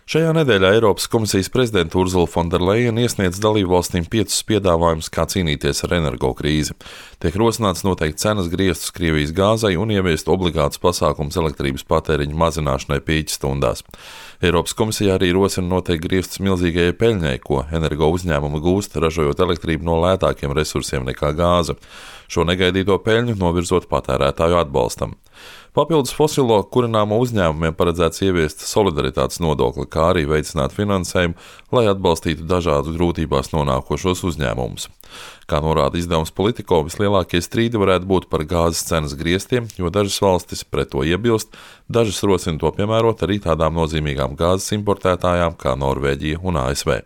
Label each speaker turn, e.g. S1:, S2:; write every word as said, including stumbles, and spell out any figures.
S1: Šajā nedēļā Eiropas komisijas prezidente Ursula von der Leyen iesniedz dalībvalstīm piecus piedāvājumus, kā cīnīties ar energokrīzi. Tiek rosināts noteikt cenas griestus Krievijas gāzei un ieviest obligātus pasākumus elektrības patēriņa mazināšanai pīķstundās. Eiropas komisija arī rosina noteikt griestus milzīgajai peļņai, ko energo uzņēmumi gūst, ražojot elektrību no lētākiem resursiem nekā gāze. Šo negaidīto peļņu novirzot patērētāju atbalstam. Papildus fosilo kurināmo uzņēmumiem paredzēts ieviest solidaritātes nodokli, kā arī veicināt finansējumu, lai atbalstītu dažādus grūtībās nonākošos uzņēmumus. Kā norāda izdevums Politico, vislielākie strīdi varētu būt par gāzes cenas griestiem, jo dažas valstis pret to iebilst, dažas rosina to piemērot arī tādām nozīmīgām gāzes importētājām kā Norvēģija un A S V.